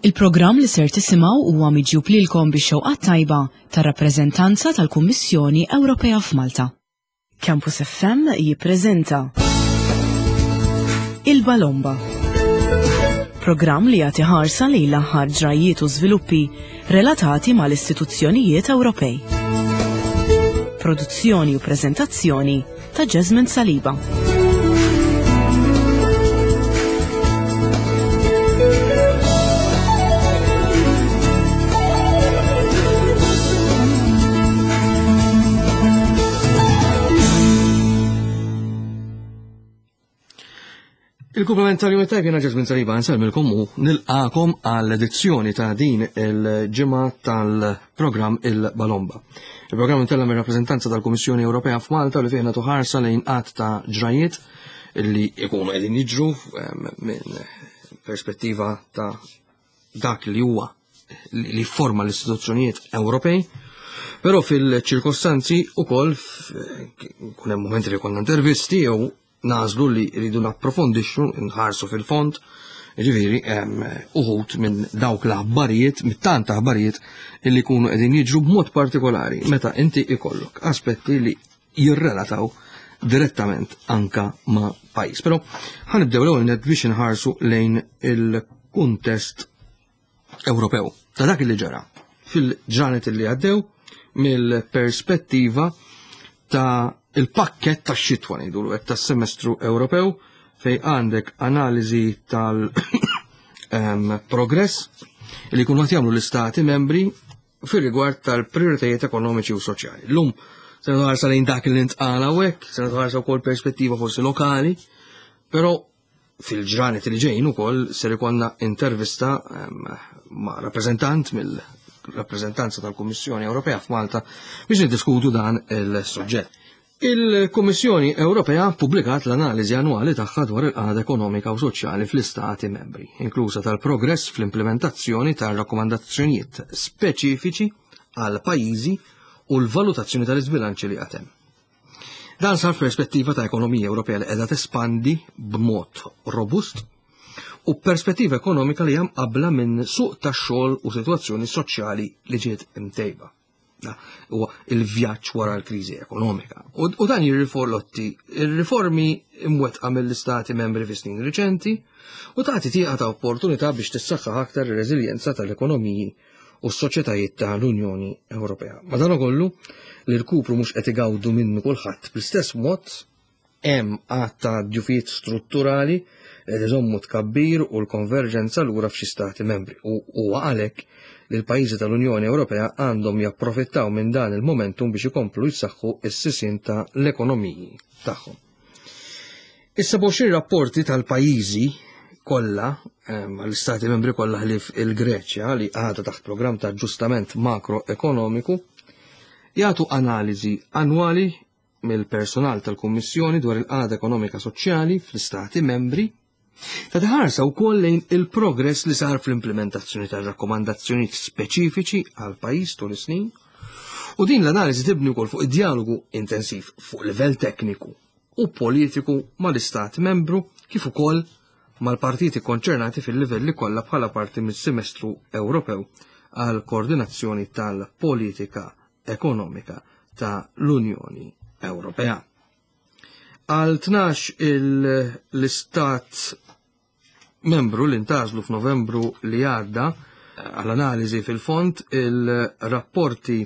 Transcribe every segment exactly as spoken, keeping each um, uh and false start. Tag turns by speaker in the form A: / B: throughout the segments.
A: Il-programm li ser tisimgħu huwa miġjub lilkom bix-xewqa tajba tar-rappreżentanza tal-Kummissjoni Ewropea f'Malta. Campus F M jippreżenta Il-Balomba. Programm li jagħti ħarsa lejn l-aħħar ġrajiet u żviluppi relatati mal-istituzzjonijiet Ewropej. Produzzjoni u preżentazzjoni ta' Jasmine Saliba.
B: Il-kumplament tal-jum tajb, jena Ġazmin Saliba, nsellmilkom u nilqakom għall-edizzjoni ta' din il-ġimgħa tal-programm Il-Balomba. Il-programm intella mir rappreżentanza tal-Kummissjoni Ewropea f'Malta li fih nagħtu ħarsa lejn qatt ta' ġrajiet li jkunu qegħdin jiġru minn perspettiva ta' dak li huwa li forma l-istituzzjonijiet Ewropej. Però fil-ċirkostanzi ukoll kun hemm momenti li konna intervisti jew nażlu li rridu napprofondixxu, nħarsu fil-fond, ġifieri uħud minn dawk l-aħbarijiet, mit-tant aħbarijiet li jkunu qegħdin jiġru, b'mod partikolari meta inti ikollok aspetti li jirrelataw direttament anka ma' pajjiż. Però ħa nibdew l-ewwel net biex inħarsu lejn il-kuntest Ewropew ta' dak li ġara fil-ġranet li għaddew mill-perspettiva ta' il-pakket ta' xitwa, ngħidu hekk, tas-semestru Ewropew, fej għandek analiżi tal-progress li jkunu qed jagħmlu l-istati membri fir-rigward tal-prioritajiet ekonomiċi u soċjali. Llum se nħarsa lejn dak li ntqal hawnhekk, se nħarsa wkoll perspettiva forsi lokali, però fil-ġranet li ġejjin ukoll ser ikollna intervista ma' rappreżentant mill-rappreżentanza tal-Kummissjoni Ewropea f'Malta biex niddiskutu dan il-suġġett. Il-Kummissjoni Ewropea pubblikat l-analiżi annwali tagħha dwar il-qagħda ekonomika u soċjali fl-istati membri, inklusa tal-progress fl-implementazzjoni tal-rakkomandazzjonijiet speċifiċi għal pajjiżi u l-valutazzjoni tal-iżbilanċi li għad hemm. Dan sar perspettiva ta' ekonomija Ewropea li qiegħda tespandi b'mod robust u perspettiva ekonomika li hemm qabla minn suq tax-xogħol u sitwazzjoni soċjali li ġiet imtejba. Huwa il-vjaġġ wara l-kriżi ekonomika. U, u dan jirrifletti il-riformi imwettqa mill-istati membri fi snin riċenti u tagħti tieqa ta' opportunità biex tissaħħaħ aktar ir-reżiljenza tal-ekonomiji u s-soċjetajiet tal-Unjoni Ewropea. Madankollu, li l-kupru mhux qed igawdu minnu kulħadd bl-istess mod, hemm għadd ta' djufijiet strutturali li iżommu tkabbir u l-konverġenza lura f'xi stati membri. U huwa għalhekk li l-pajjiżi tal-Unjoni Ewropea għandhom japprofittaw minn dan il-momentum biex ikomplu jsaħħu s-sisien ta' l-ekonomiji tagħhom. Is-sebgħa u għoxrin rapporti tal-pajjiżi kollha, għall-istati membri kollha ħlief il-Greċja li għadha taħt programm ta' aġġustament makroekonomiku, jagħtu analiżi annwali mill-personal tal-Kummissjoni dwar il-qagħda ekonomika soċjali fl-istati membri, ta' ħarsa wkoll lejn il-progress li sar fl-implementazzjoni tar-rakkomandazzjonijiet speċifiċi għal pajjiż tul is-snin, u din l-analiżi tibni wkoll fuq id-dialogu intensiv fuq livell tekniku u politiku mal-istat membru kif ukoll mal-partiti konċernati fil-livelli kollha bħala parti mis-semestru Ewropew għal koordinazzjoni tal-politika ekonomika ta' l-Unjoni Ewropea. Għal tnax l-istat membru li ntgħażlu f'Novembru li għadda għall-analiżi fil-fond, il-rapporti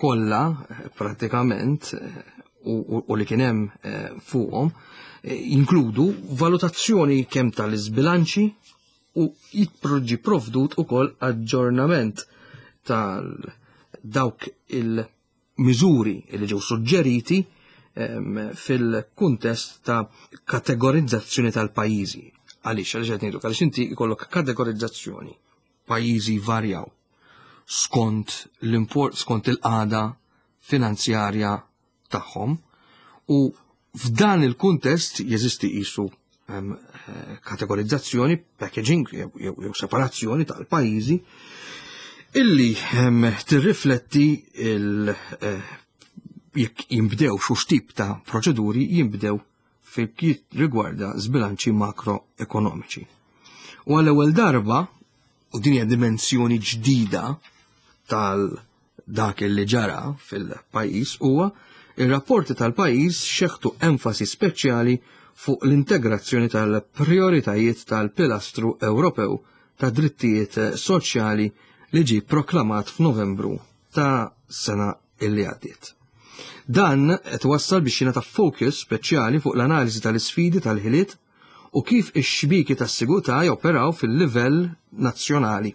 B: kollha pratikament u, u li kien hemm eh, fuqhom eh, jinkludu valutazzjoni kemm tal-iżbilanċi u jitproġi provdut ukoll aġġornament tal dawk il-miżuri li ġew suġġeriti fil-kuntest ta' kategorizzazzjoni tal-pajjiżi. Għaliex, għaliex qed ngħidu, għaliex inti jkollok kategorizzazzjoni, pajjiżi varjaw skont l-import, skont il-qagħda finanzjarja tagħhom, u f'dan il-kuntest jeżisti qisu kategorizzazzjoni, packaging jew separazzjoni tal-pajjiżi illi tirrifletti il eh, jekk jimbdew xu tip ta' proċeduri jimbdew fil rigwarda zbilanċi makroekonomiċi. U għall-ewwel darba, u din hija dimensjoni ġdida tal dak li ġara fil-pajjiż, huwa ir-rapporti tal-pajjiż xeħtu enfasi speċjali fuq l-integrazzjoni tal-prioritajiet tal-Pilastru Ewropew ta' Drittijiet Soċjali li ġie proklamat f'Novembru ta' sena illi għaddiet. Dan qed wassal biex jingħata focus speċjali fuq l-analiżi tal-isfidi tal-ħiliet u kif ix-xbieki tas-sigurtà joperaw fil-livell nazzjonali.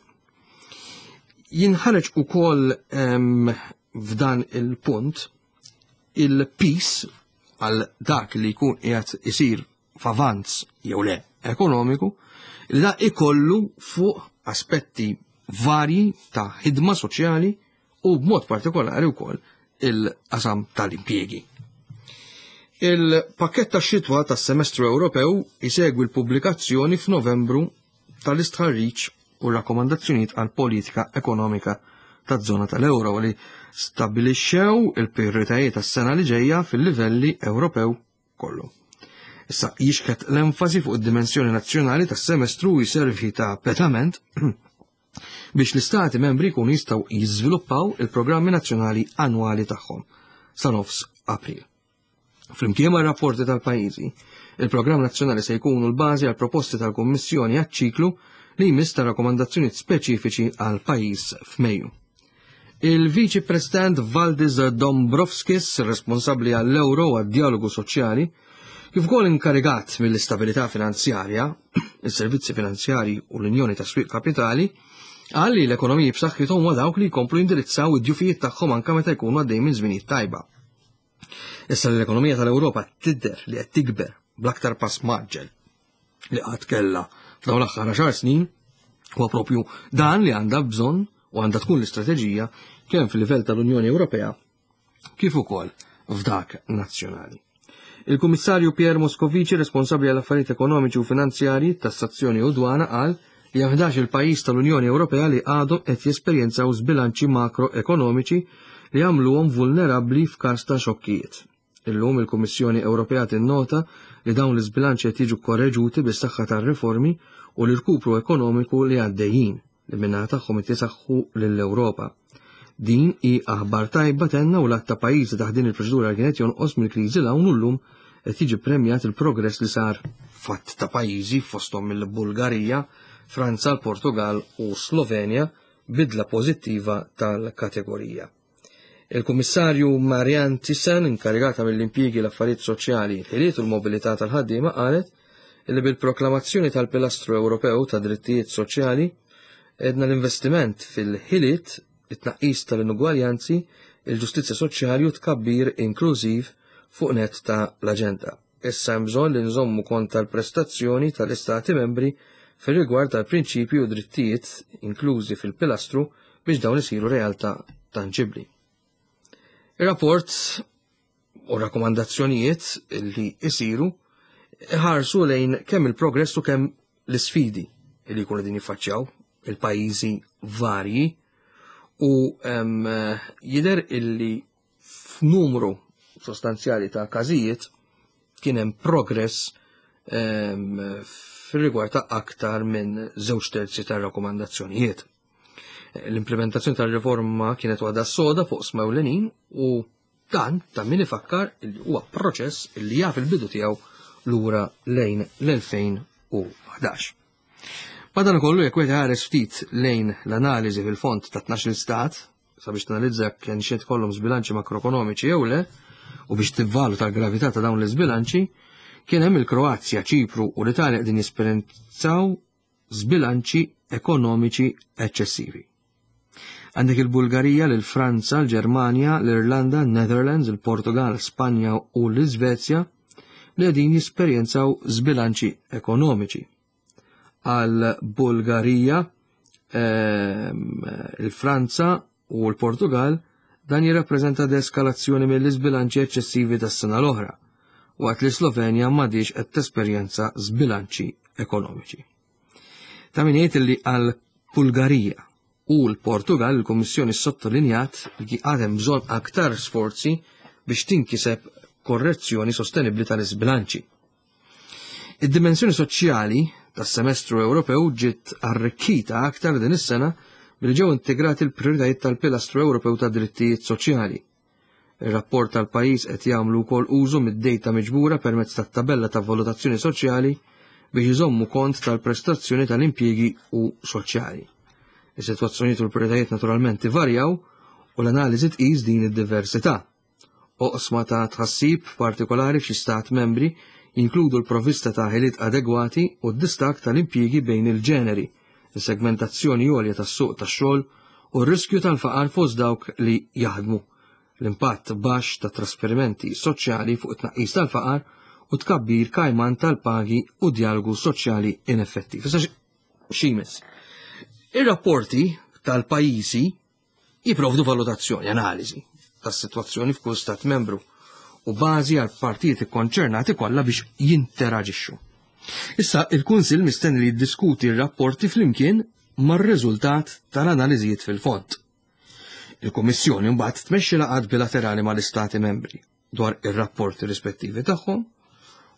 B: Jinħareġ ukoll f'dan il-punt il-piż għal dak li jkun qiegħed isir f'avanz jew le ekonomiku li da ikollu fuq aspetti varji ta' ħidma soċjali u b'mod partikolari wkoll il-qasam tal-impjiegi. Il-pakket ta' xitwa tas-semestru Ewropew isegwi l-pubblikazzjoni f'Novembru tal-istħarriġ u rakkomandazzjonijiet għal politika ekonomika taż-żona tal-euro li stabbilixxew il-prijoritajiet tas-sena li ġejja fil-livelli Ewropew kollu. Issa jixħet l-enfasi fuq id-dimensjoni nazzjonali tas-semestru jservi ta' pedament biex l-istati membri jkunu jistgħu jiżviluppaw il-programmi nazzjonali annwali tagħhom sa nofs April. Flimkien ma' rapporti tal-pajjiżi, il-programm nazzjonali se jkunu l-bażi għal proposti tal-Kummissjoni għaċ-ċiklu li jmiss ta' rakkomandazzjonijiet speċifiċi għal pajjiż f'Mejju. Il-Viċi President Valdis Dombrovskis, responsabbli għall-euro u għad-dialogu soċjali, kif ukoll inkarigat mill-istabilità finanzjarja, is-servizzi finanzjarji u l-Unjoni ta' Swieq Kapitali, qal li l-ekonomiji b'saħħithom huwa dawk li jkomplu jindirizzaw id-djufijiet tagħhom anke meta jkunu għaddej minn żminijiet tajba. Issa li l-ekonomija tal-Ewropa tidher li qed tikber bl-aktar pass mgħaġġel li qatt kellha f'dawn l-aħħar għaxar snin, huwa propju dan li għandha bżonn u għandha tkun l-istrateġija kemm fil-livell tal-Unjoni Ewropea kif ukoll f'dak nazzjonali. Il-Kummissarju Pierre Moscovici, responsabbli għall affarijiet ekonomiċi u finanzjarji, tassazzjoni u dwana, qal li hemm ħdax il pajjiż tal-Unjoni Ewropea li għadhom qed jesperjenzaw żbilanċi makroekonomiċi li għamluhom vulnerabbli f'każ ta' xokkijiet. Illum il-Kummissjoni Ewropea tinnota li dawn l-iżbilanċi qed jiġu korreġuti bis-saħħa tar-riformi u l-irkupru ekonomiku li għaddejjin li min-naħa tagħhom qed jisaħħu lill-Ewropa. Din hi aħbar tajba, tenna, u l-għadd ta' pajjiżi taħt din il-proċedura kienet jonqos mill-kriżi 'l hawn u llum qed jiġi premjat il-progress li sar f'għadd ta' pajjiżi, fosthom il-Bulgarija, Franza, l-Portugal u Slovenja, bidla pożittiva tal-kategorija. Il-Kummissarju Marianne Thyssen, inkarigata mill-impjiegi, l-affarijiet soċjali, il-ħiliet u l-mobilità tal-ħaddiema, qalet li bil-proklamazzjoni tal-Pilastru Ewropew ta' Drittijiet Soċjali edna l-investiment fil-ħiliet, it-tnaqqis tal-inugwaljanzi, il-ġustizzja soċjali u tkabbir inklużiv fuq nett ta' l-aġenda. Issa hemm bżonn li nżommu kont tal-prestazzjoni tal-Istati membri fir-rigward tal-prinċipji u drittijiet inklużi fil-pilastru biex dawn isiru realtà tanġibbli. Ir-rapport u rakkomandazzjonijiet li isiru ħarsu lejn kemm il-progress u kemm l-isfidi li jkunu din jiffaċċjaw il-pajjiżi varji u jidher illi f'numru sostanzjali ta' każijiet kien hemm progress fir-rigward ta' aktar minn żewġ terzi tar-rakkomandazzjonijiet. L-implementazzjoni tal-riforma kienet waħda soda fuq oqsma ewlenin u dan ta' min ifakkar li huwa proċess li jaf il-bidu tiegħu lura lejn l-elfejn u ħdax. Madankollu, jekk wieħed ħares ftit lejn l-analiżi fil-fond ta' tnax-il stat sabiex tanalizza kien xed kollhom żbilanċi makroekonomiċi jew le u biex tivvaluta l-gravità ta' dawn l-iżbilanċi, kien hemm il-Kroazja, Ċipru u l-Italja qegħdin jesperjenzaw żbilanċi ekonomiċi eċċessivi. Għandek il-Bulgarija, l-Franza, l-Ġermanja, l-Irlanda, Netherlands, il-Portugal, Spanja u l-Iżvezja li qegħdin jesperjenzaw żbilanċi ekonomiċi. Għal Bulgarija, ehm, il-Franza u l-Portugal dan jirrappreżenta deeskalazzjoni mill-iżbilanċi eċċessivi tas-sena l-oħra, waqt li Slovenja m'għadhiex qed tesperjenza żbilanċi ekonomiċi. Ta' min jgħid li għal Bulgarija u l-Portugal il-Kummissjoni sottolinjat li għadhem bżonn aktar sforzi biex tinkiseb korrezzjoni sostenibbli tal-iżbilanċi. Id-dimensjoni soċjali tas-semestru Ewropew ġiet arrikkita aktar din is-sena billi ġew integrati l-prijoritajiet tal-Pilastru Ewropew ta' Drittijiet Soċjali. Ir-rapport tal-pajjiż qed jagħmlu wkoll użu mid-dejta miġbura permezz tat-tabella ta' valutazzjoni soċjali biex iżommu kont tal-prestazzjoni tal-impjiegi u soċjali. Is-sitwazzjonijiet u l-prijoritajiet naturalment ivarjaw u l-analiżi tqis din id-diversità. Oqsma ta' tħassib partikolari f'xi stat membri jinkludu l-provvista ta' ħiliet adegwati u d-distakk tal-impjiegi bejn il-ġeneri, is-segmentazzjoni għolja tas-suq tax-xogħol u r-riskju tal-faqar fost dawk li jaħdmu, l-impatt baxx ta' trasferimenti soċjali fuq it-tnaqqis tal-faqar u tkabbir kajman tal-pagi u djalogu soċjali ineffettiv. Issa x'imis? Ir-rapporti tal-pajjiżi jipprovdu valutazzjoni, analiżi tas-sitwazzjoni f'kull stat membru u bażi għal partijiet ikkonċernati kollha biex jinteraġixxu. Issa il-Kunsill mistenni li jiddiskuti r-rapporti flimkien mar-riżultat tal-analiżijiet fil-fond. Il-Kummissjoni mbagħad tmexxi laqgħat bilaterali mal-Istati membri dwar ir-rapporti rispettivi tagħhom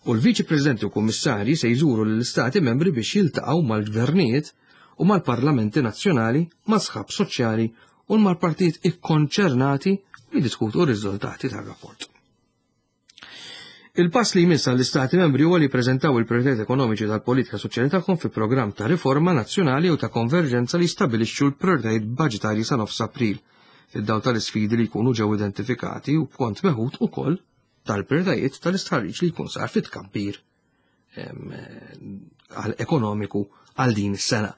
B: u l-Viċi Presidenti u Kummissarji se jżuru lill-Istati membri biex jiltaqgħu mal-gvernijiet u mal-parlamenti nazzjonali, ma' sħab soċjali u mal-partijiet ikkonċernati u jiddiskutu r-riżultati tar-rapport. Il-pass li jmiss għall-Istati membri huwa li jippreżentaw il-prijoritajiet ekonomiċi tal-politika soċjali tagħhom fi programm ta' riforma nazzjonali u ta' konverġenza li jistabilixxu l-prijoritajiet baġitarji sa nofs April, fid-dawl tal-isfidi li jkunu ġew identifikati u b'kont meħud ukoll tal-prijoritajiet tal-istħarriġ li jkun sar fit-tkabbir ekonomiku għal din is-sena.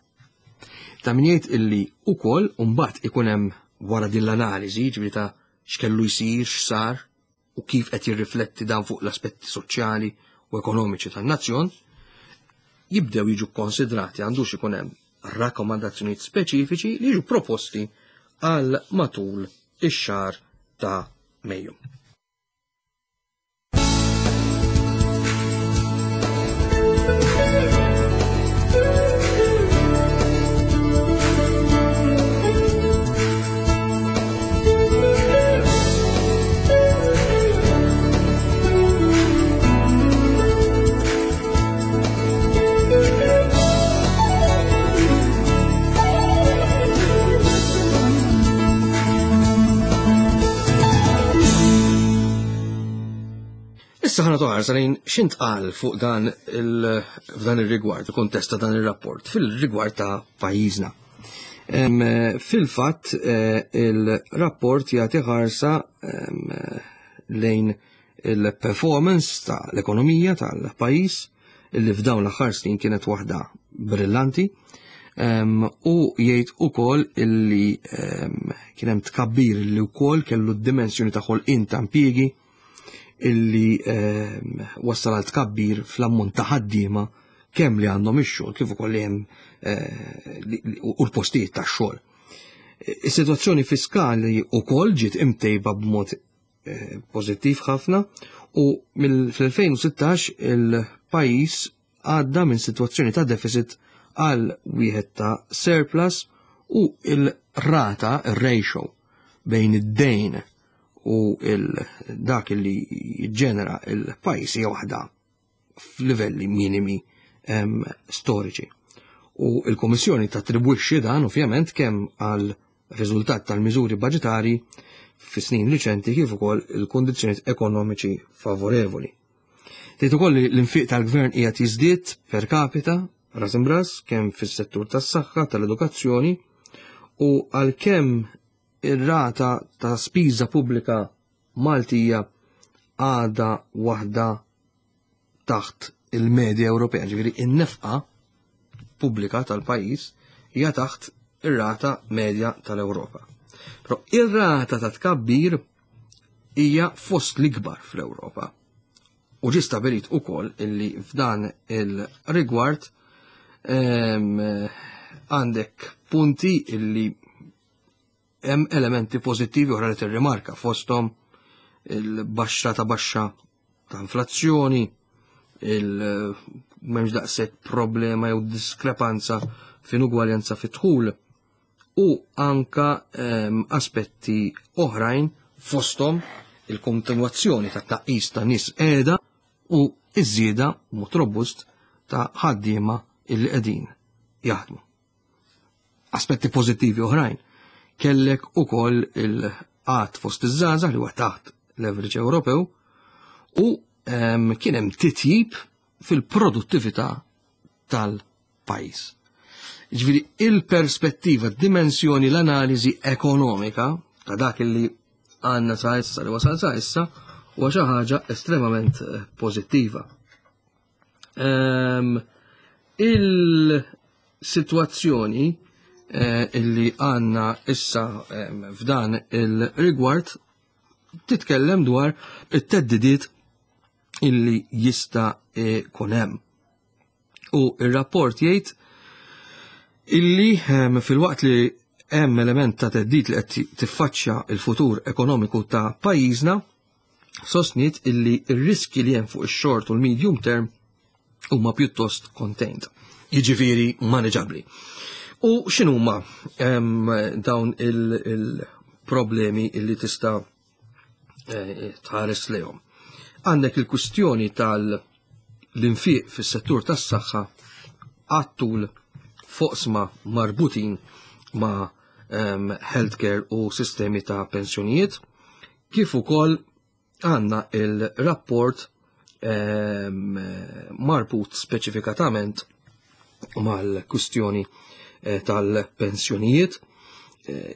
B: Ta' min jgħid illi ukoll mbagħad ikun hemm wara din l-analiżi, ġifieri ta' x'kellu jsir, x'sar u kif qed jirrifletti dan fuq l-aspetti soċjali u ekonomiċi tan-nazzjon, jibdew jiġu konsidrati għandux ikun hemm rakkomandazzjonijiet speċifiċi li jiġu proposti għal matul ix-xahar ta' Mejju. Issa ħana toħarsa lejn x'intqal fuq dan f'dan ir-rigward, il-kuntest ta' dan ir-rapport, fil-rigward ta' pajjiżna. Fil-fatt il-rapport jagħti ħarsa lejn il-performance ta' l-ekonomija tal-pajjiż illi f'dawn l-aħħar snin kienet waħda brillanti, u jgħid ukoll illi kien hemm tkabbir li wkoll kellu d-dimensjoni ta' ħolqien ta' impjiegi illi wassal għal tkabbir fl-ammont ta' ħaddiema kemm li għandhom ix-xogħol kif ukoll li hemm u l-postijiet tax-xogħol. Is-sitwazzjoni fiskali wkoll ġiet imtejba b'mod pożittiv ħafna u fl-elfejn u sittax il-pajjiż għadda minn sitwazzjoni ta' deficit għal wieħed ta' surplus u il-rata, il-ratio bejn id-dejn u dak li jiġġenera il-pajjiż hija waħda f'livelli minimi storiċi. U l-Kummissjoni tattribwixxi dan ovvjament kemm għal riżultat tal-miżuri baġitarji fi snin riċenti kif ukoll il-kundizzjonijiet ekonomiċi favorevoli. Tgħid ukoll li l-infiq tal-gvern qiegħed jiżdied per capita ras imbras kemm fis-settur tas-saħħa, tal-edukazzjoni u għalkemm ir-rata ta' spiża pubblika Maltija għadha waħda taħt il-medja Ewropea, ġifieri in-nefqa pubblika tal-pajjiż hija taħt ir-rata medja tal-Ewropa. Però ir-rata ta' tkabbir hija fost l-ikbar fl-Ewropa. U ġie stabilit ukoll illi f'dan il-rigward għandek punti illi hemm elementi pożittivi oħra li tirrimarka fosthom il-baxxa ta' baxxa ta' inflazzjoni, il m'hemmx daqshekk problema jew diskrepanza f'inugwaljanza fit-dħul u anka aspetti oħrajn fosthom il-kontinwazzjoni ta' tnaqqis ta' nies qiegħda u iż-żieda mod robust ta' ħaddiema illi qegħdin jaħdmu. Aspetti pożittivi oħrajn. Kellek ukoll il-qgħad fost iż-żgħażagħ li huwa taħt l-average Ewropew u kien hemm titjib fil-produttività tal-pajjiż. Ġifieri il-perspettiva, dimensjoni, l-analiżi ekonomika ta' dak li għandna sa issa li wasal sa issa huwa xi ħaġa estremament pożittiva. Um, il-sitwazzjoni eh, illi għandna issa um, f'dan il-rigward titkellem dwar it-theddidiet illi jista' ikun hemm. U il-rapport jgħid illi um, fil-waqt li hemm element ta' theddid li qed tiffaċċja il-futur ekonomiku ta' pajjiżna, sostniet illi r-riski li hemm fuq ix-short u l-medium term huma pjuttost contained, jiġifieri manageabli. U x'inhuma dawn il-problemi illi tista' eh, tħares lejhom? Għandek il-kwistjoni tal-infiq fis-settur tas-saħħa għat-tul f'oqsma marbutin ma' um, healthcare u sistemi ta' pensjonijiet, kif ukoll għandna il-rapport um, marbut speċifikatament mal-kwistjoni eh, tal-pensjonijiet eh,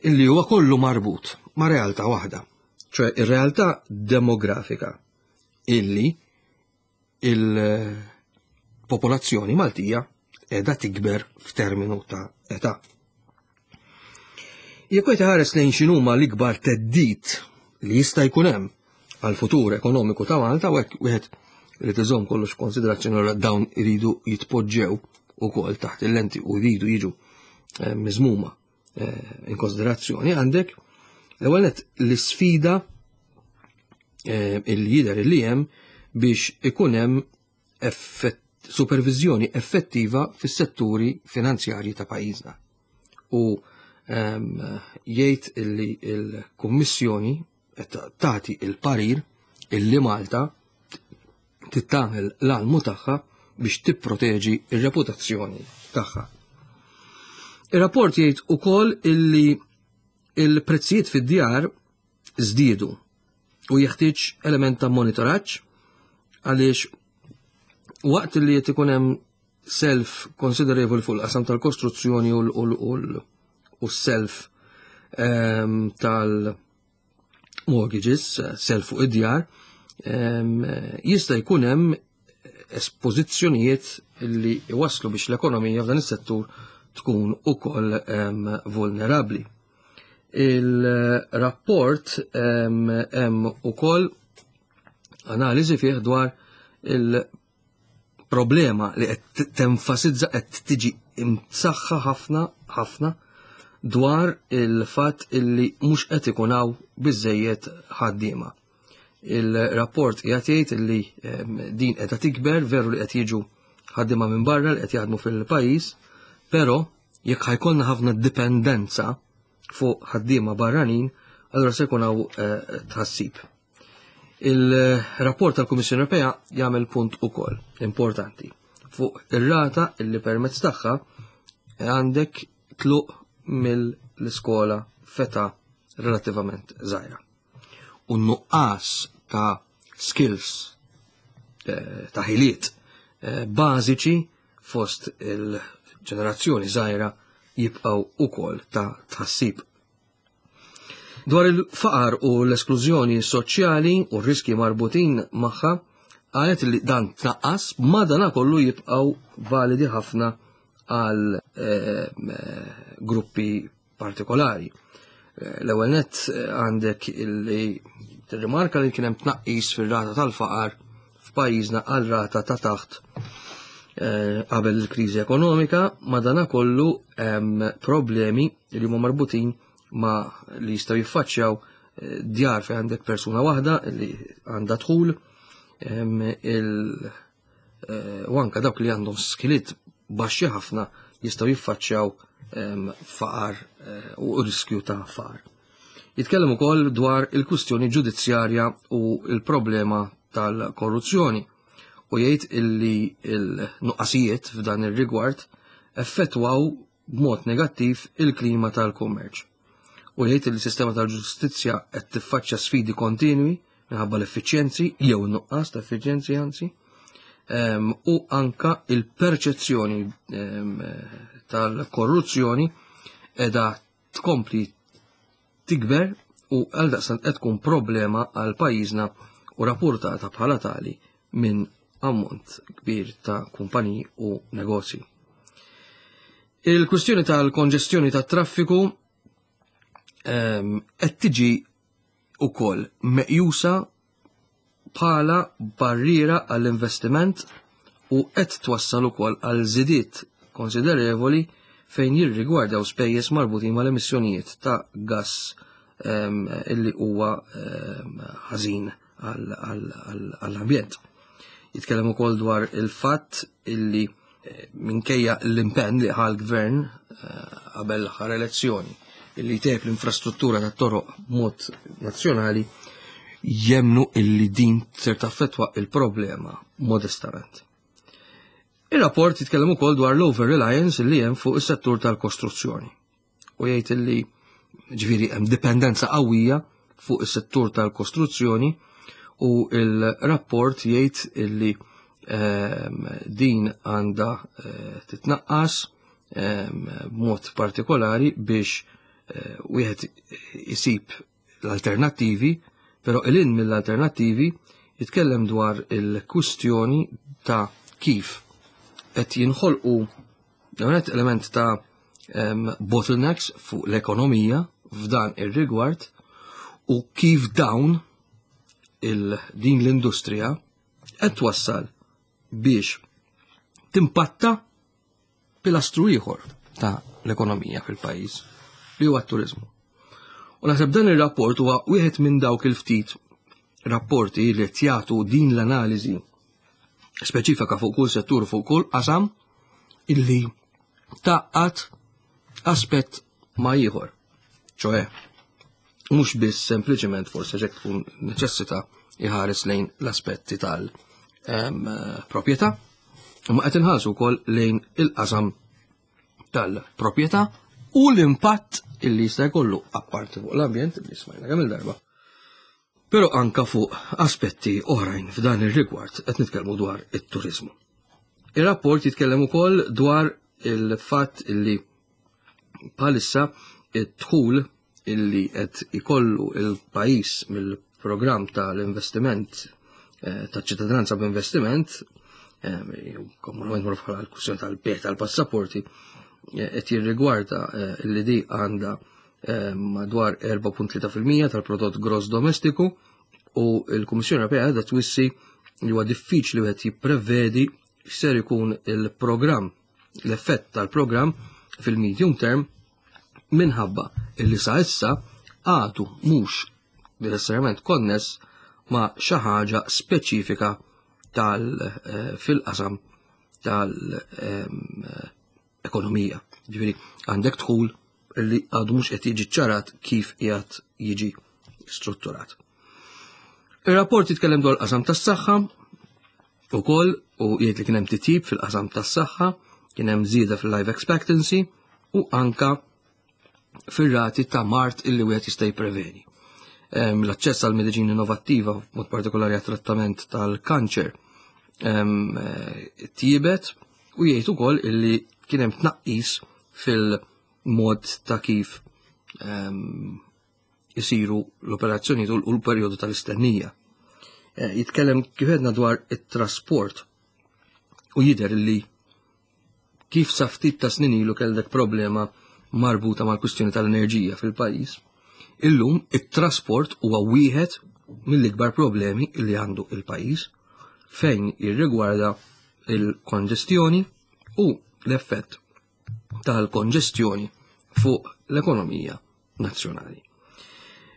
B: illi huwa kollu marbut ma' realtà waħda, ċoè ir-realtà demografika illi il-popolazzjoni Maltija qiegħda tikber f'terminu ta' età. Jekk wieħed iħares lejn x'inhuma l-ikbar theddid li jista' jkun hemm għal futur ekonomiku ta' Malta, u hekk wieħed irid iżomm kollox konsiderazzjoni dawn iridu jitpoġġew ukoll taħt il-lenti u jridu jiġu eh, miżmuma eh, in konsiderazzjoni, għandek l-ewwel nett l-isfida eh, illi jidher li hemm biex ikun hemm supervizjoni effettiva fis-setturi finanzjarji ta' pajjiżna. U ehm, jgħid illi il-Kummissjoni qed tagħti il-parir illi Malta tagħmel l-almu tagħha biex tipproteġi ir-reputazzjoni tagħha. Ir-rapport jgħid ukoll illi il-prezzijiet fid-djar żdiedu u jeħtieġ element ta' monitoraġġ għaliex waqt li qed ikun hemm self considerable fuq il-qasam tal-kostruzzjoni u s-self ehm, tal-mortgages, self fuq id-djar, ehm, jista' jkun hemm espożizzjonijiet li waslu biex l-ekonomija f'dan is-settur tkun ukoll ehm, vulnerabbli. Il-rapport hemm ukoll analiżi fih dwar il-problema li qed tenfasizza, qed tiġi imsaħħa ħafna ħafna dwar il-fatt illi mhux qed ikun hawn biżejjed ħaddiema. Il-rapport qiegħed jgħid illi din qiegħda tikber, veru li qed jiġu ħaddiema minn barra li qed jaħdmu fil-pajjiż, però jekk ħa jkollna ħafna dipendenza fuq ħaddiema barranin, allura se jkun hawn eh, tħassib. Il-rapport tal-Kummissjoni Ewropea jagħmel punt ukoll importanti fuq ir-rata illi permezz tagħha għandek tluq mill-iskola f'età relattivament żgħira. U nuqqas ta' skills, eh, ta' ħiliet eh, bażiċi fost il-ġenerazzjoni żgħira jibqgħu ukoll ta' tħassib. Dwar il-faqar u l-esklużjoni soċjali u r-riski marbutin magħha, qalet li dan tnaqqas, madana kollu jibqgħu validi ħafna għal eh, gruppi partikolari. Eh, l-ewwel nett eh, għandek illi tirrimarka li kien hemm tnaqqis fir-rata tal-faqar f'pajjiżna għal rata ta' taħt qabel il-kriżi ekonomika, madana kollu hemm problemi li huma marbutin ma' li jistgħu jiffaċċjaw djar fejn għandek persuna waħda li għandha dħul, u anka dawk li għandhom skiliet baxxi ħafna jistgħu jiffaċċjaw faqar u riskju ta' faqar. Jitkellem ukoll dwar il-kwistjoni ġudizzjarja u il-problema tal-korruzzjoni U jgħid illi il-nuqqasijiet f'dan ir-rigward effettwaw b'mod negattiv il-klima tal-kummerċ. U jgħid li s-sistema tal-ġustizzja qed tiffaċċja sfidi kontinwi minħabba l-effiċjenzi jew nuqqas ta' effiċjenzi anzi, u anka il-perċezzjoni tal-korruzzjoni edha tkompli tikber u għaldaqstant qed tkun problema għal pajjiżna u rapportata bħala tali minn ammont kbir ta' kumpaniji u negozji. Il-kwistjoni tal-konġestjoni tat-traffiku qed tiġi ukoll meqjusa bħala barriera għall-investiment u qed twassal ukoll għal żidiet konsiderevoli fejn jirrigwardaw spejjeż marbutin mal-emissjonijiet ta' gass illi huwa ħażin għall-ambjent. Jitkellem ukoll dwar il-fatt illi minkejja l-impenn li ħa l-gvern qabel l-aħħar elezzjoni illi jtejjeb l-infrastruttura tat-toroq b'mod nazzjonali, jemnu illi din ser taffettwa il-problema modestament. Il-rapport jitkellem ukoll dwar l-over reliance li hemm fuq is-settur tal-kostruzzjoni u jgħid illi ġifieri hemm dipendenza qawwija fuq is-settur tal-kostruzzjoni u il-rapport jgħid illi ehm, din għandha eh, titnaqqas ehm, b'mod partikolari biex eh, wieħed isib l-alternattivi, però ilin mill-alternattivi jitkellem dwar il-kwistjoni ta' kif qed jinħolqu element ta' um, bottlenecks fuq l-ekonomija f'dan ir-rigward u kif dawn il din l-industrija qed twassal biex timpatta pilastru ieħor ta' l-ekonomija fil-pajjiż, li huwa t-turizmu. U naħseb dan ir-rapport huwa wieħed minn dawk il-ftit rapporti li qed jagħtu din l-analiżi speċifika fuq kull settur, fuq kull qasam, illi tgħaqqad aspett ma' ieħor. ċoè, mhux biss sempliċement forsi ġek tkun neċessita iħares lejn l-aspetti tal-proprjetà, imma qed inħarsu wkoll lejn il-qasam tal-proprjetà u l-impatt illi jista' jkollu apparti fuq l-ambjent li smajna kemm il-darba. Però anka fuq aspetti oħrajn f'dan ir-rigward qed nitkellmu dwar it-turizmu. Ir-rapport jitkellem ukoll dwar il-fatt illi bħalissa id-dħul illi qed ikollu il-pajjiż mill-programm tal-investiment eh, taċ-ċittadinanza b'investiment, eh, komunament magħruf bħala l-kwistjoni tal-bejgħ tal-passaporti, eh, qed jirrigwarda illi di għandha madwar erbgħa punt tlieta fil-mija tal-prodott gross domestiku u l-Kummissjoni Ewropea qiegħda twissi li huwa diffiċli wieħed jipprevedi x'ser ikun il-programm, l-effett tal-programm fil-medium term, minħabba illi sa issa għadu mhux necessarjament konness ma' xi ħaġa speċifika tal eh, fil-qasam tal-ekonomija. Ġifieri għandek dħul illi għadu mhux qed jiġi ċarat kif qiegħed jiġi strutturat. Ir-rapport jitkellem dwar qasam tas-saħħa ukoll u jgħid li kien hemm titjib fil-qasam tas-saħħa, kien hemm żieda fil-life expectancy u anka fir-rati ta' mard illi wieħed jista' jippreveni. L-aċċess għal mediċina innovattiva, mod partikolari għat trattament tal-kanċer, tjiebet u jgħid ukoll illi kien hemm tnaqqis fil-mod ta' kif isiru l-operazzjoni u l-perjodu tal-istennija. Eh, jitkellem kif għedna dwar it-trasport u jidher li kif sa ftit ta' snin ilu kellek problema marbuta mal-kwistjoni tal-enerġija fil-pajjiż. Illum it-trasport huwa wieħed mill-ikbar problemi li għandu il-pajjiż fejn jirrigwarda il-konġestjoni u l-effett tal-konġestjoni fuq l-ekonomija nazzjonali.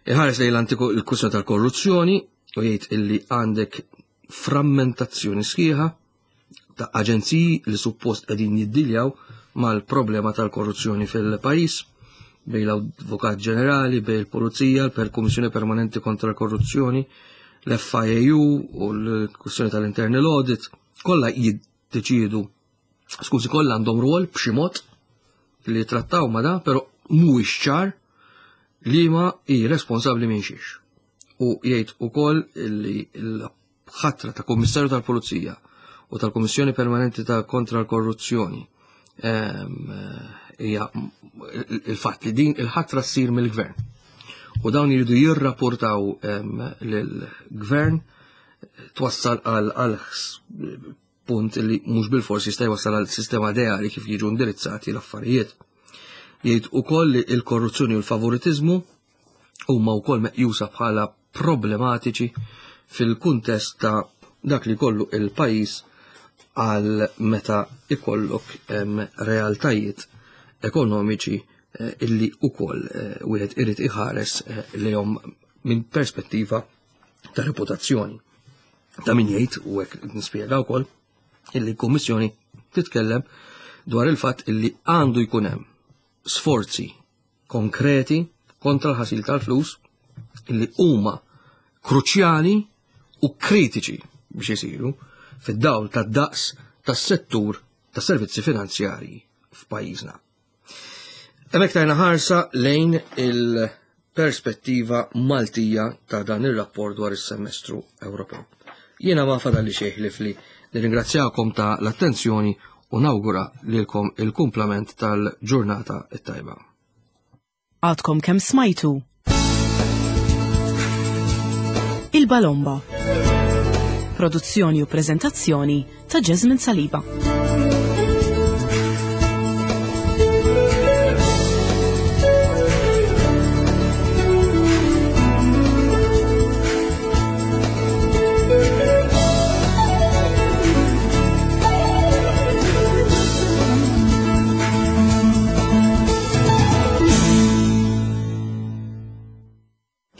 B: Iħares lejn l-antiku il-kwistjoni tal-korruzzjoni u jgħid illi għandek frammentazzjoni sħiħa ta' aġenziji li suppost qegħdin jiddiljaw mal-problema tal-korruzzjoni fil-pajjiż, bejn l-Avukat Ġenerali, bejn il-Pulizija, l-Kummissjoni Permanenti kontra l-Korruzzjoni, l-F I A U u l-kwistjoni tal-Internal Audit. Kollha jiddeċiedu, skużi, kollha għandhom rwol b'xi mod li trattaw ma da, però mhuwiex ċar li ma hi responsabbli minn xiex. U jgħid ukoll li l-ħatra ta' Kummissarju tal-Pulizija u tal-Kummissjoni Permanenti ta' kontra l-Korruzzjoni hija il-fatt li din il-ħatra ssir mill-gvern. U dawn jridu jirrapportaw lill-gvern twassal għal punt li mhux bil-forsi jista' jwassal għal sistema ideali kif jiġu indirizzati l-affarijiet. Jgħid ukoll li l-korruzzjoni u l-favoritiżmu huma wkoll meqjusa bħala problematiċi fil-kuntest ta' dak li kollu il-pajjiż għal meta ikollok realtajiet ekonomiċi eh, illi ukoll eh, wieħed irid iħares eh, lejhom minn perspettiva ta' reputazzjoni. Ta' min jgħid u hekk nispjega wkoll illi l-Kummissjoni titkellem dwar il-fatt illi għandu jkun hemm sforzi konkreti kontra l-ħasil tal-flus illi huma kruċjali u kritiċi biex isiru fid-dawl tad-daqs tas-settur tas-servizzi finanzjarji f'pajjiżna. Hemmhekk tajna ħarsa lejn il-perspettiva Maltija ta' dan ir-rapport dwar is-semestru Ewropew. Jiena ma fadalli xejn ħlief li nirringrazzjakom ta' l-attenzjoni u nawgura lilkom il-kumplament tal-ġurnata it-tajba.
A: Għadkom kemm smajtu Il-Balomba. Produzzjoni u prezentazzjoni ta' Jasmine Saliba.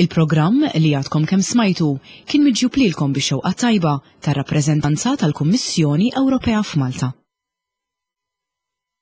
A: Il-programm li għadkom kemm smajtu kien miġjub lilkom bix-xewqa tajba tar-rappreżentanza tal-Kummissjoni Ewropea f'Malta.